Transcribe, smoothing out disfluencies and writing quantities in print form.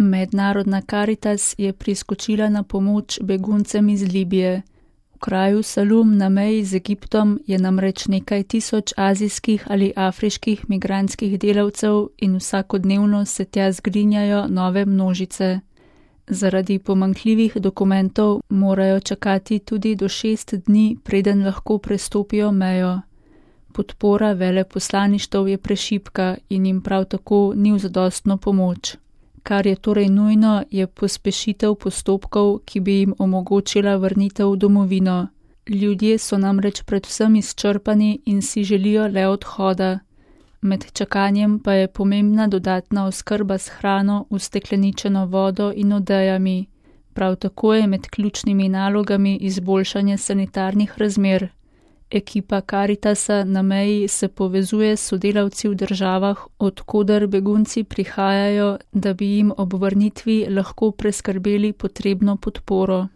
Mednarodna Karitas je priskočila na pomoč beguncem iz Libije. V kraju Salum na meji z Egiptom je namreč nekaj tisoč azijskih ali afriških migrantskih delavcev in vsakodnevno se tja zgrinjajo nove množice. Zaradi pomanjkljivih dokumentov morajo čakati tudi do 6 dni, preden lahko prestopijo mejo. Podpora veleposlaništev je prešibka in jim prav tako ni v zadostno pomoč. Kar je torej nujno, je pospešitev postopkov, ki bi jim omogočila vrnitev v domovino. Ljudje so namreč predvsem izčrpani in si želijo le odhoda. Med čakanjem pa je pomembna dodatna oskrba s hrano, ustekleničeno vodo in odejami. Prav tako je med ključnimi nalogami izboljšanje sanitarnih razmer. Ekipa Karitasa na meji se povezuje s sodelavci v državah, od koder begunci prihajajo, da bi jim ob vrnitvi lahko preskrbeli potrebno podporo.